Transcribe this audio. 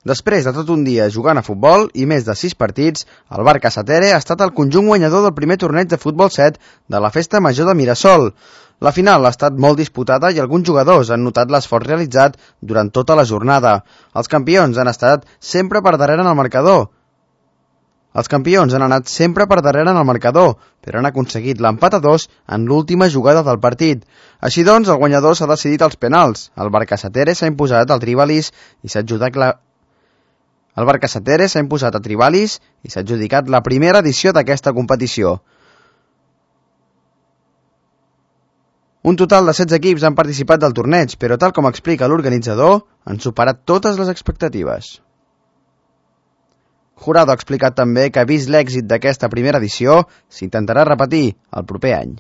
Després de tot un dia jugant a futbol i més de 6 partits, el Barca Satere ha estat el conjunt guanyador del primer torneig de futbol 7 de la Festa Major de Mirasol. La final ha estat molt disputada i alguns jugadors han notat l'esforç realitzat durant tota la jornada. Els campions han estat sempre per darrere en el marcador. Però han aconseguit l'empat a 2 en l'última jugada del partit. Així doncs, el guanyador s'ha decidit als penals. El Barca Satere s'ha imposat a Trivalis i s'ha adjudicat la primera edició d'aquesta competició. Un total de 16 equips han participat del torneig, però tal com explica l'organitzador, han superat totes les expectatives. Jurado ha explicat també que, vist l'èxit d'aquesta primera edició, s'intentarà repetir el proper any.